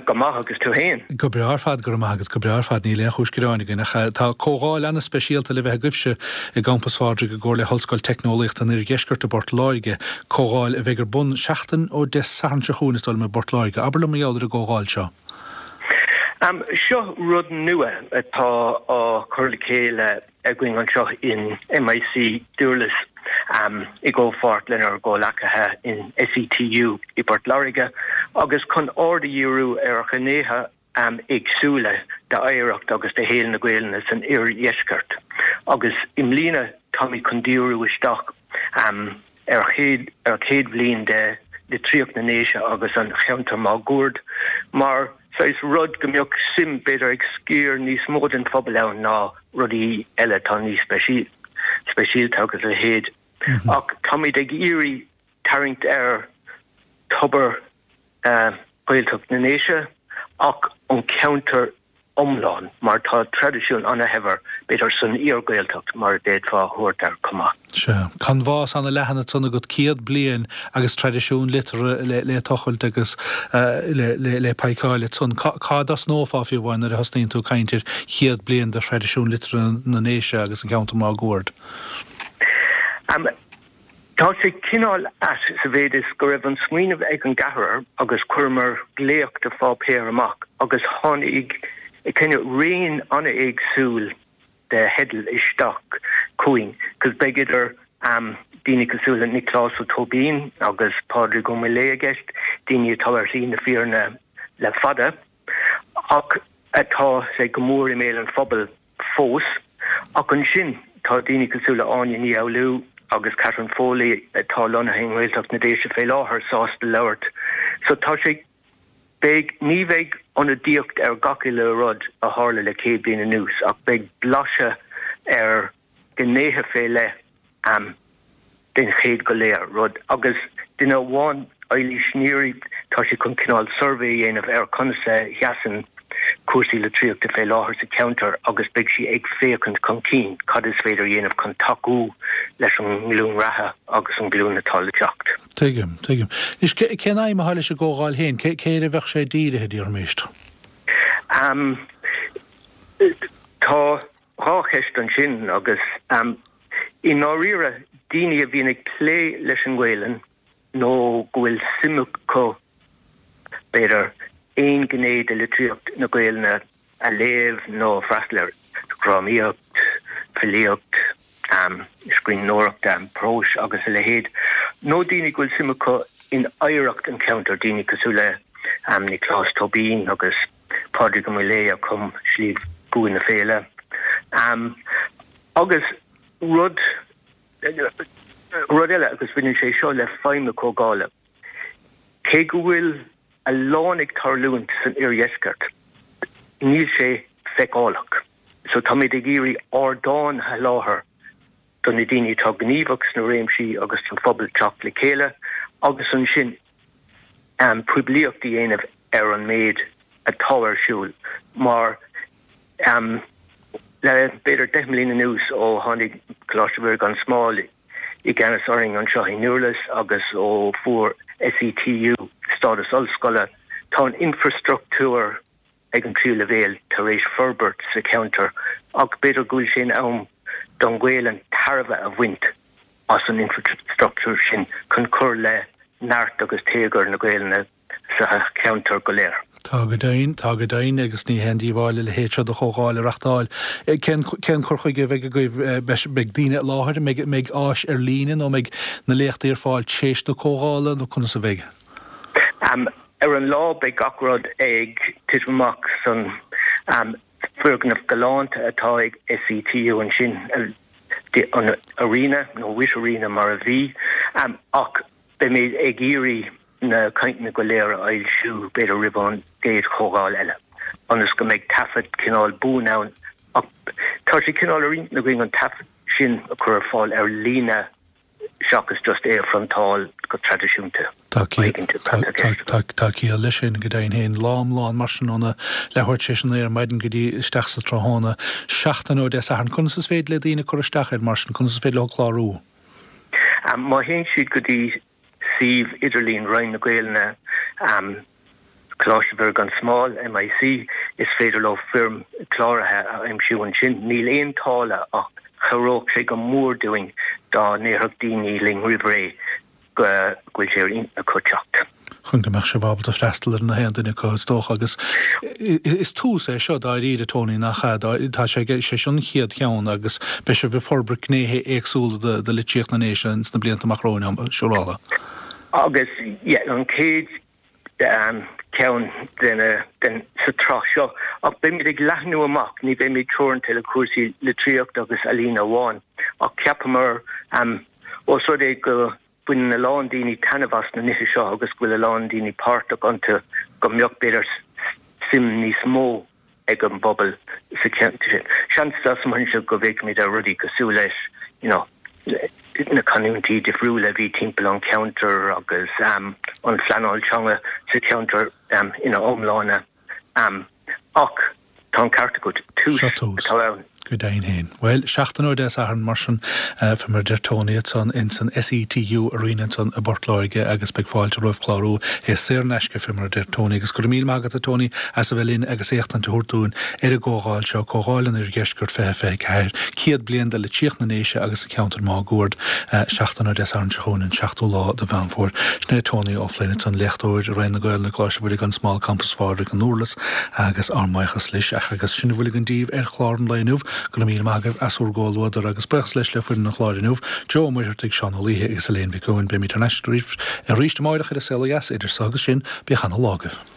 Go maith, agus tú fhéin? Go breá ar fad, go raibh maith agat, go breá ar fad, níl aon chúis gearáin againn. Ach tá comhdháil ana-speisialta le bheith agaibhse i gCampas Phádraig i gcomhar le hOllscoil Teicneolaíochta an Oirdheiscirt i bPort Láirge, comhdháil a bheidh ar bun seachtain ó Dé Sathairn seo chugainn is dóigh liom i bPort Láirge. Abair liom mar gheall ar an gcomhdháil seo. Seo rud nua atá á chur le chéile againn anseo in MIC Durlas i gcomhpháirt lenár gcomhleacaithe in SETU i bPort Láirge agus chun aird a dhíriú ar ghnéithe éagsúla d'oidhreacht agus de shaol na Gaelainne san oirdheisceart agus i mbliana táimid chun díriú isteach ar ar chéad bhliain de litríocht na nDéise agus an cheantair máguaird mar saghas rud go mbeadh suim b'fhéidir ag sciar níos mó den phobal ann ná rudaí eile atá níos speisialta agus a leithéid. Ach táimid ag iarraidh tarraingt ar thobar Ghaeltacht na nDéise ach an ceantar iomlán mar tá traidisiún ana-shaibhir, b'fhéidir, san iar-Ghaeltacht mar a d'fhéadfá a thabhairt air chomh maith. Sea. Canbhás ana-leathan ansan agat, 100 bliain agus traidisiún liteartha le tochailt agus le peiceáil ansan. Cá dtosnófá fiú amháin nuair a thosnaíonn tú ag caint ar chéad bliain de thraidisiún liteartha na nDéise agus an ceantar máguaird? Tá sé cineál ait sa mhéid is go raibh an smaoineamh ag an gceathrar agus chuireamar glaoch de pháipéar amach agus tháinig cineál raon an-éagsúil de theidil isteach chugainn 'cause beidh idir daoine cosúil le Nioclás Ó Tóibín agus Pádraig Ó Maolaodha i gceist, daoine atá ar shlí na fírinne le fada. ach atá sé go mór i mbéal an phobail fós. Ach ansin tá daoine cosúil le Áine Ní Fhoghlú agus Catherine Foley atá lonnaithe i nGaeltacht na Déise fé láthair sásta labhairt. So tá sé, beidh, ní bheidh ionadaíocht ar gach uile rud a tharla le 100 bliain anuas ach beidh blaiseadh ar ghnéithe fé leith den chéad go léir rud agus duine amháin, Eilís Neary, tá sí chun cineál suirbhé a dhéanamh ar conas a sheasann cúrsaí litríochta fé láthair sa cheantar agus beidh sí ag féachaint chun cinn cad is féidir a dhéanamh chun tacú leis an nglúin reatha agus an ghlúin atá le teacht. Tuigim, tuigim. Anois, cén aidhm atá leis an gcomhdháil féin? Cé air a bheadh sé dírithe, déarfaimis? Tá 2 cheist ansin agus i ndáiríre daoine a bhíonn ag plé leis an nGaelainn nó go bhfuil suim acu b'fhéidir aon ghné de litríocht na Gaelainne a léamh nó freastal air, drámaíocht, filíocht, scríbhneoireacht próis agus a leithéid, nó daoine go bhfuil suim acu in oidhreacht an cheantair, daoine cosúil le Nioclás Tóibín agus. Pádraig Ó Maolaodha a chum Sliabh gCua na Féile. Agus rud rud eile, agus baineann sé seo le feidhm na comhdhála, cé go bhfuil a lán ag tarlúint san oirdheisceart, níl sé feiceálach. So táimid ag iarraidh ardán a sholáthar do na daoine atá gníomhach sna réimsí agus don phobal teacht le chéile agus ansin poiblíocht a dhéanamh ar an méid atá ar siúl mar le b'fhéidir 10 mbliana anuas ó tháinig Coláiste Mhuire gan Smál i gceannas orainn anseo i nDurlas agus ó fuair SETU stádas ollscoile tá an infreastruchtúr ag an tríú leibhéal tar éis forbairt sa cheantar ach b'fhéidir go bhfuil sé in am don Ghaelainn tairbhe a bhaint as an infreastruchtúr sin chun cur le neart agus téagar na Gaelainne sa cheantar go léir. Tá go deimhin, tá go deimhin, agus ní haon díobháil a leithéid seo de chomhdháil a reachtáil. Cén, cén cur chuige a bheidh agaibh? Beidh daoine i láthair? An mbeidh, mbeidh áis ar líne nó an mbeidh na léachtaí ar fáil tréis na comhdhála nó conas a bheidh? Ar an lá beidh gach rud ag titim amach san foirgneamh galánta atá ag SETU ansin. an Arena nó Witt Arena mar a bhí ach beimid ag iarraidh na cainteanna go léir a fhoilsiú b'fhéidir roimh an gcéad chomhdháil eile ionas go mbeidh taifead cineál buan ann ach tá sé cineál ar intinn againn an taifead sin a chur ar fáil ar líne seachas just é a phriontáil go traidisiúnta. Tá ciall leis sin, go deimhin féin. Lá iomlán mar sin óna leathuair tar éis a 9 ar maidin go dtí isteach sa tráthnóna, seachtain ó Dé Sathairn. Conas is féidir le daoine cur isteach air mar sin? Conas is féidir leo clárú? Má théann siad go dtí suíomh idirlín Roinn na Gaelainne, Coláiste Mhuire gan Smál, MIC, is féidir leo foirm cláraithe a aimsiú ansin. Níl aon táille ach chabhródh sé go mór dúinn dá ndéarfadh daoine linn roimh ré go bhfuil sé ar intinn acu teacht. Chun go mbeadh sibh ábalta freastal ar na haon duine acu, is dócha. Agus is tús é seo dáiríre, Tony, nach ea? Tá sé, sé seo an chéad cheann agus beidh sibh ag forbairt gnéithe éagsúla de litríocht na nDéise ins na blianta amach romhainn, siúráilte. Agus, yeah, an chéad ceann de na, den, sa tsraith seo. Ach beimid ag leathnú amach, ní bheimid teoranta le cúrsaí litríochta agus ealaíne amháin, ach cheapamar, ós rud é go baineann a lán daoine taitneamh as na nithe seo agus go bhfuil a lán daoine páirteach iontu, go mbeadh, b'fhéidir, suim níos mó ag an bpobal sa cheantar sin. Seans dá smaoineoinn go bhféachfaimid ar rudaí cosúil leis you know na canúintí difriúla a bhí timpeall an cheantair agus an phleanáil teanga sa cheantar ina iomláine. Ach tá an ceart agat, tús atá ann. Go deimhin féin. Bhuel, seachtain ó Dé Sathairn, mar sin, fé mar a deir Tony ansan ins an SETU Arena ansan i bPort Láirge agus beidh fáilte romhaibh clárú. É saor in aisce, fé mar a deir Tony. Agus go raibh míle maith agat, a Tony, as a bheith linn agus éachtaint a thabhairt dúinn ar an gcomhdháil seo, Comhdháil an Oirdheiscirt 2024, 100 bliain de litríocht na nDéise agus an cheantair máguaird, seachtain ó Dé Sathairn seo chugainn, an seachtú lá de Mheán Fómhair. Sin é Tony Ó Floinn ansan, léachtóir i Roinn na Gaelainne, Coláiste Mhuire gan Smál, Campas Phádraig, an Durlas, agus ár mbuíochas leis. Agus sin a bhfuil againn daoibh ar chlár an lae inniu. Go raibh míle maith agaibh as bhur gcomhluadar agus buíochas leis le foireann an chláir inniu, Joe Ó Muircheartaigh, Seán Ó Laoithe agus Elaine Mhic Eoin. Beimid thar n-ais arís amáireach ar An Saol Ó Dheas. Idir so agus sin, bíodh ana lá agaibh.